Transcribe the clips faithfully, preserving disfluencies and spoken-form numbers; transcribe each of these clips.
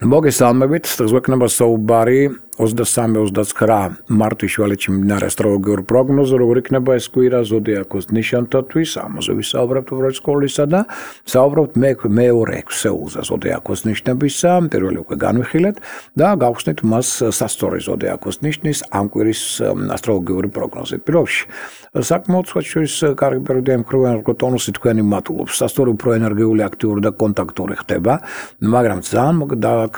მოგესალმებით, დღესვექნება საუბარი ოცდასამი ოცდაცხრა მარტის შუალედში მიმდინარე ასტროლოგიური პროგნოზი, როგორ იქნება ეს კვირა ზოდიაქოს ნიშანთათვის, ამაზე ვისაუბრებთ უბრალოდ სკოლისა და საუბრობთ მე მეორე ექვსეულზე ზოდიაქოს ნიშნებისა, პირველი უკვე განვიხილეთ და გავხსნით მას სასწორი ზოდიაქოს ნიშნის ამ კვირის ასტროლოგიური პროგნოზი. პირველში საკმაოდ სხვადასხვის კარგი პერიოდი ემხრობიან როგორ ტონუსი თქვენი მატულობს, სასწორი უფრო ენერგიული, აქტიური და კონტაქტური ხდება, მაგრამ ძალიან მოგდააქ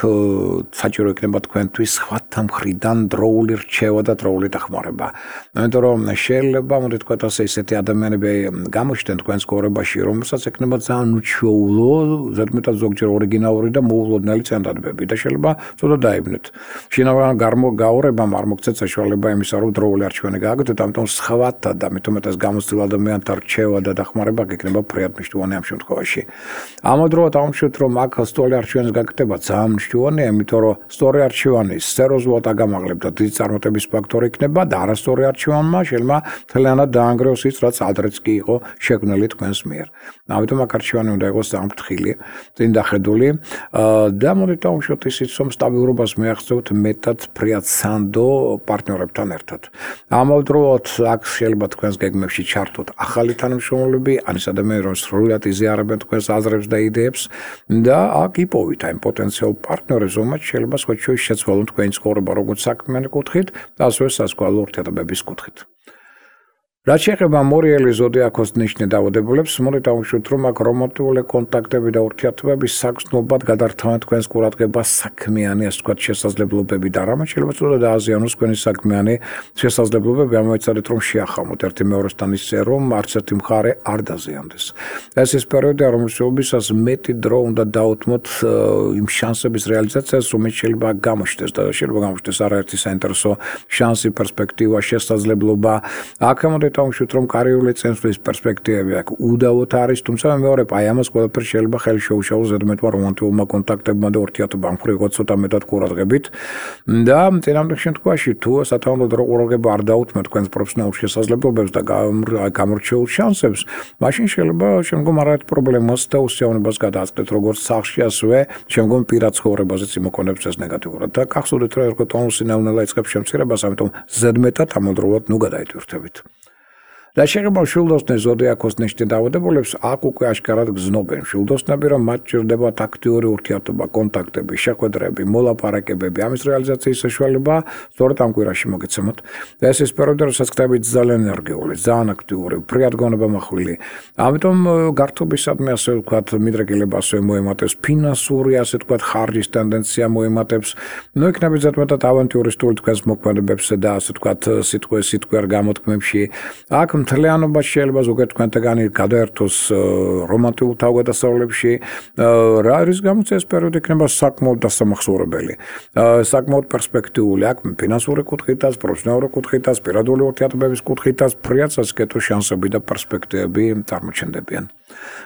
საჭირო იქნება თქვენთვის სხვათა მხრიდან დროული რჩევა და დროული დახმარება. იმიტომ რომ შეიძლება მოდი თქვათ ასე ისეთი ადამიანები გამოჩნდნენ თქვენს ცხოვრებაში, რომელსაც ექნება ძალიან უჩვეულო, ზედმეტად ზოგჯერ ორიგინალური და მოულოდნელი წინადადებები და შეიძლება ცოტა დაიბნეთ. შინაგან გამოგაურებამ არ მოგცეთ საშუალება იმისა, რომ დროული არჩევანი გააკეთოთ, ამიტომ სხვათა და მithumetas გამოცდილ ადამიანთა რჩევა და დახმარება გექნება ფრიად მნიშვნელოვანი ამ შემთხვევაში. ამავდროულად აღმოჩნდეთ, რომ აქ სწორი არჩევანის გაკეთება ძალიან მნიშვნელოვანია, იმიტომ რომ სწორი არჩევანი სეროზულად აგამაღლებთ და დიდი წარმატების ფაქტორი იქნება და არასწორი არჩევანმა შეიძლება მთლიანად დაანგრევს ის, რაც ადრეც კი იყო შექმნილი თქვენს მიერ. ამიტომ აქ არჩევანი უნდა იყოს ძალიან ფრთხილი, წინ დახედული და მოდით დავუშვათ ისიც, რომ სტაბილურობას მიაღწევთ მეტად ფრიად სანდო პარტნიორებთან ერთად. ამავდროულად აქ შეიძლება თქვენს გეგმებში ჩართოთ ახალი თანამშრომლები, ან ის ადამიანები, რომ სრულად იზიარებენ თქვენს აზრებს და იდეებს და აქ იპოვით აი პოტენციალურ პარტნიორებს, რომლებიც შეიძლება სხვადასხვა შეცვალონ თქვენი ცხოვრება როგორც საქმიანი კუთხით, ასევე საზღვაო ურთიერთობების კუთხით. რაც შეეხება მორიელი ზოდიაქოს ნიშნით დაავადებულებს, მოდით დავუშვათ, რომ აქ რომანტიკული კონტაქტები და ურთიერთობები საგრძნობად გადართავენ თქვენს ყურადღებას საქმიანი, ასე ვთქვათ, შესაძლებლობები და რამაც შეიძლება ცოტა დააზიანოს თქვენი საქმიანი შესაძლებლობები, ამოეცადეთ, რომ შეახამოთ ერთი მეორესთან ისე, რომ არც ერთი მხარე არ დაზიანდეს. ეს ის პერიოდია, რომელშიც მეტი დრო უნდა დაუთმოთ იმ შანსების რეალიზაციას, რომელიც შეიძლება გამოჩნდეს და შეიძლება გამოჩნდეს არაერთი საინტერესო შანსი, პერსპექტივა, შესაძლებლობა. აქ მოდით დავუშვათ, რომ კარიერული წინსვლის პერსპექტივები აქ უდავოდ არის, თუმცა მეორე აი ამას ყველაფერს შეიძლება ხელი შეუშალოს ზედმეტმა რომანტიკულმა კონტაქტებმა და ურთიერთობამ ხრივ ცოტა მეტად ყურადღებით და წინამდელ შემთხვევაში თუ სათანადო ყურადღება არ დაუთმოთ თქვენს პროფესიონალურ შესაძლებლობებს და გამორჩეულ შანსებს, მაშინ შეიძლება შემდგომ არაერთ პრობლემას და უსიამოვნებას გადააწყვეტთ როგორც სახლში, ასევე შემდგომ პირად ცხოვრებაზეც იმოქმედებს ეს ნეგატიურად და გახსოვდეთ, რომ ერგო ტონუსი ნელ-ნელა იწყებს შემცირებას, ამიტომ ზედმეტად ამავდროულად ნუ გადაიტვირთებით. რაც შეეხება მშვილდოსნის ზოდიაქოს ნიშნით დაავადებულებს, აქ უკვე აშკარად გრძნობენ მშვილდოსნები, რომ მათ ჭირდებათ აქტიური ურთიერთობა, კონტაქტები, შეხვედრები, მოლაპარაკებები, ამის რეალიზაციის საშუალება სწორედ ამ კვირაში მოგეცემოთ. და ეს ის პერიოდი, როდესაც ხდებით ძალიან ენერგიული, ძალიან აქტიური, ფრიად გონებამახვილი. ამიტომ გართობისადმი ასე ვთქვათ, მიდრეკილება ასევე მოემატებს, ფინანსური ასე ვთქვათ, ხარჯის ტენდენცია მოემატებს. ნუ იქნებით ზედმეტად ავანტიურისტული თქვენს მოქმედებებს და ასე ვთქვათ, სიტყვე სიტყვიარ გამოთქმებში. აქ მთლიანობა შეიძლება ზოგადად თქვენთაგანი გადაერთოს რომანტიკულ თავგადასავლებში, რა არის გამოც ეს პერიოდი იქნება საკმაოდ დასამახსოვრებელი, საკმაოდ პერსპექტიული, აქ ფინანსური კუთხითაც, პროფესიონალური კუთხითაც, პირადული ურთიერთობების კუთხითაც ფრიად სასკეთო შანსები და პერსპექტივები წარმოჩენდებიან.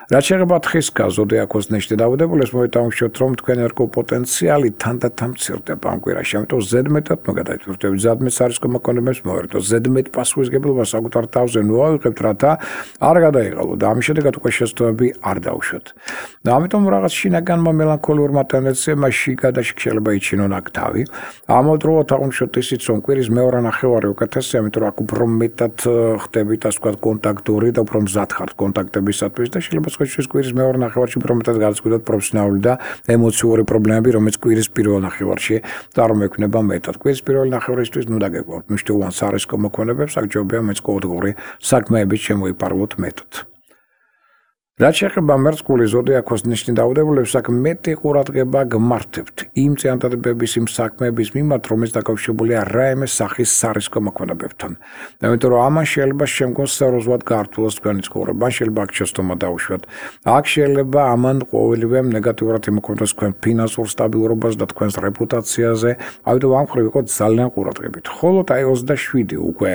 რაც შეეხება თხისკა ზოდიაქოს ნიშნით დაავადებულებს, მოდით დავუშვათ, რომ თქვენი ერგო პოტენციალი თანდათან მცირდება ამ კვირაში, ამიტომ ზედმეტად ნუ გადაიტვირთებით, ზედმეტ სარისკო მოქმედებებს მოვერტოთ, ზედმეტ პასუხისმგებლობას საკუთარ თავზე ნუ ავიღებთ, რათა არ გადაიღალოთ და ამის შედეგად უკვე შესაძლებლობები არ დაუშვათ. და ამიტომ რაღაც შინაგანმა მელანქოლიურმა ტენდენციებმა შიგა და შეიძლება იჩინონ აქ თავი. ამავდროულად აღმოჩნდეთ ისიც, რომ კვირის მეორე ნახევარი უკეთესია, იმიტომ რომ აქ უფრო მეტად ხდებით, ასე ვთქვათ, კონტაქტური და უფრო მზად ხართ კონტაქტებისათვის და შეიძლება სხვადასხვა კვირის მეორე ნახევარში უფრო მეტად გადაწყვეტოთ პროფესიონალური და ემოციური პრობლემები, რომელიც კვირის პირველ ნახევარში წარმოექმნება მეტად. კვირის პირველ ნახევარისთვის ნუ დაგეგმავთ მნიშვნელოვან სარისკო მოქმედებებს, აქ ჯობია მეც ყოველდღიური საქმეებით შემოიპარლოთ მეტად. რაც შეეხება მერწყული ზოდიაქოს ნიშნით დაავადებულებს, აქ მეტი ყურადღება გმართებთ იმ წინადადებების, იმ საქმეების მიმართ, რომელიც დაკავშირებულია რაიმე სახის სარისკო მოქმედებებთან. იმიტომ რომ ამან შეიძლება შემდგომ სერიოზულად გაართულოს თქვენი ცხოვრება, შეიძლება აქ შეცდომა დაუშვათ. აქ შეიძლება ამან ყოველივე ნეგატიურად იმოქმედოს თქვენ ფინანსურ სტაბილურობას და თქვენს რეპუტაციაზე, ამიტომ ამ მხრივ იყო ძალიან ყურადღებით. ხოლო აი ოცდაშვიდი უკვე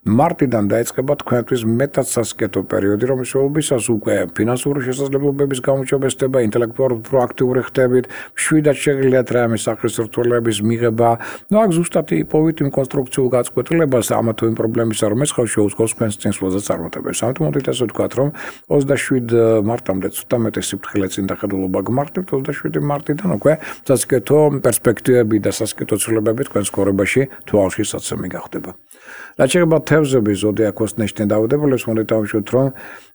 მარტიდან დაიწყება თქვენთვის მეტად სასკეთო პერიოდი, რომლის შეულებისას უკვე ფინანსური შესაძლებლობების გამოჩვენება, ინტელექტუალურად პროაქტიული ხდებით, მშვიდად შეგიძლიათ რამე სახის რთულების მიღება. ნუ აქ ზუსტად იპოვით იმ კონსტრუქციულ გაწყვეტილებას ამა თუ იმ პრობლემისა, რომ ეს ხალხი შეუწყოს თქვენს წინსვლაზე წარმატებას. ამიტომ მოდით ასე ვთქვათ, რომ ოცდაშვიდი მარტამდე ცოტა მეტი სიფრთხილე წინდახედულობა გმართებთ, ოცდაშვიდი მარტიდან უკვე სასიკეთო პერსპექტივები და სასიკეთო ცვლილებები თქვენს ცხოვრებაში თვალში საცემი გახდება. რაც შეეხება თევზების ზოდიაქოს ნიშნით დაავადებულებს, მოდით დავუშვით, რომ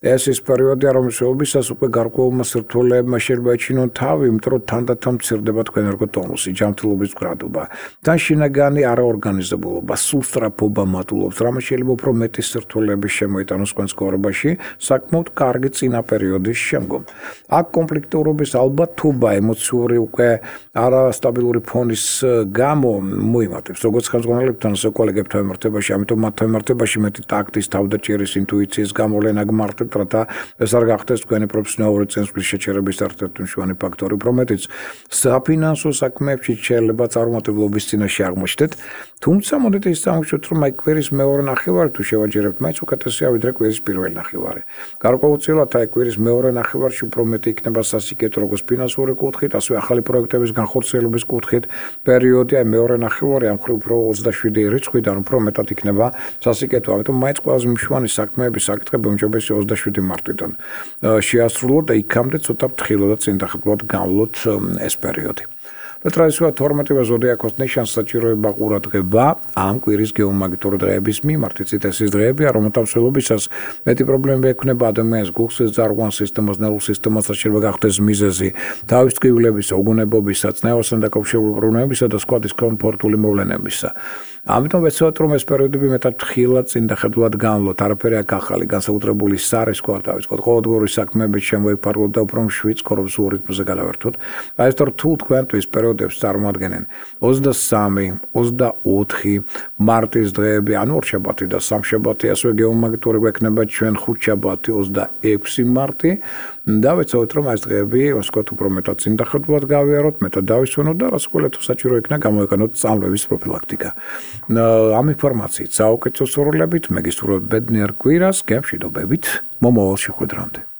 ეს ის პერიოდია, რომელშიც უკვე გარკვეულმა სირთულეებმა შეიძლება ეჩინონ თავი, იმიტომ რომ თანდათან მცირდება თქვენ ერგოტონუსი, ჯანმრთელობის მდგრადობა, და შინაგანი არაორგანიზებულობა, სულსწრაფობა მატულობს, რამაც შეიძლება უფრო მეტი სირთულეების შემოიტანოს თქვენს ცხოვრებაში, საკმაოდ კარგი წინა პერიოდის შემდგომ. აქ კონფლიქტურობის ალბათობა, ემოციური უკვე არასტაბილური ფონის გამო მოიმატებს, როგორც ხელმძღვანელებთან, ასე კოლეგებთან მიმართებაში, ამიტომ მათ მიმართებაში მეტი ტაქტის, თავდაჭერის, ინტუიციის გამოვლენა გმართებთ, რათა ეს არ გახდეს თქვენი პროფესიონალური წინსვლის შეჩერების ერთ-ერთი მშვენი ფაქტორი, რომელიც საფინანსო საქმეებში შეიძლება წარუმატებლობის წინაშე აღმოჩნდეთ, თუმცა მოდით ის წამოვშვით, რომ აი კვირის მეორე ნახევარი თუ შევაჯერებთ, მაინც უკეთესია ვიდრე კვირის პირველი ნახევარი. გარკვეულწილად აი კვირის მეორე ნახევარში უფრო მეტი იქნება სასიკეთო როგორც ფინანსური კუთხით, ასევე ახალი პროექტების განხორციელების კუთხით პერიოდი, აი მეორე ნახევარი ამ მხრივ უფრო ოცდაშვიდი რიცხვიდან უფრო მეტად იქნება სასიკეთო. ამიტომ მაინც ყველაზე მშვენი საქმეების საკითხები უმჯობესია ოცდაშვიდი მარტიდან შეასრულოთ და იქამდე ცოტა ფრთხილად და წინდახედულად განვლოთ ეს პერიოდი. ტრადიციულად თორმეტივე ზოდიაქოს ნიშანს საჭიროება ყურადღება ამ კვირის გეომაგნიტური დღეების მიმართ. იცით, ეს ის დღეებია, რომელთა მსვლელობისას მეტი პრობლემები ექნება ადამიანს გულსის ძარღვან სისტემას, ნერვულ სისტემას, შეიძლება გახდეს მიზეზი თავის ტკივილების, ოგონებობისა, წნევასთან დაკავშირებული პრობლემებისა და სხვა დისკომფორტული მოვლენებისა. ამიტომ ვეცადოთ, რომ ეს პერიოდები მეტად ფრთხილად წინდახედულად განვლოთ. არაფერი აქ ახალი, განსაკუთრებული სარისკო არ დავიწყოთ. ყოველდღიური საქმეებით შემოიფარგლოთ და უფრო მშვიდ ცხოვრებულ რიტმზე გადავერთოთ. აი ეს რთულ თქვენთვის პერიოდებს წარმოადგენენ ოცდასამი, ოცდაოთხი მარტის დღეები, ანუ ორშაბათი და სამშაბათი, ასევე გეომაგნიტური გვექნება ჩვენ ხუთშაბათი, ოცდაექვსი მარტი და ვეცადოთ, რომ ეს დღეები ვასკოთ უფრო მეტად წინდახედულად გავიაროთ, მეტად დავისვენოთ და რასკვლელით საჭირო იქნა გამოიყენოთ წამლების პროფილაქტიკა. ამ ინფორმაციით საუკეთესო სურვილებით, მეგისურვებთ ბედნიერ კვირას, გემშვიდობებით, მომავალ შეხვედრამდე.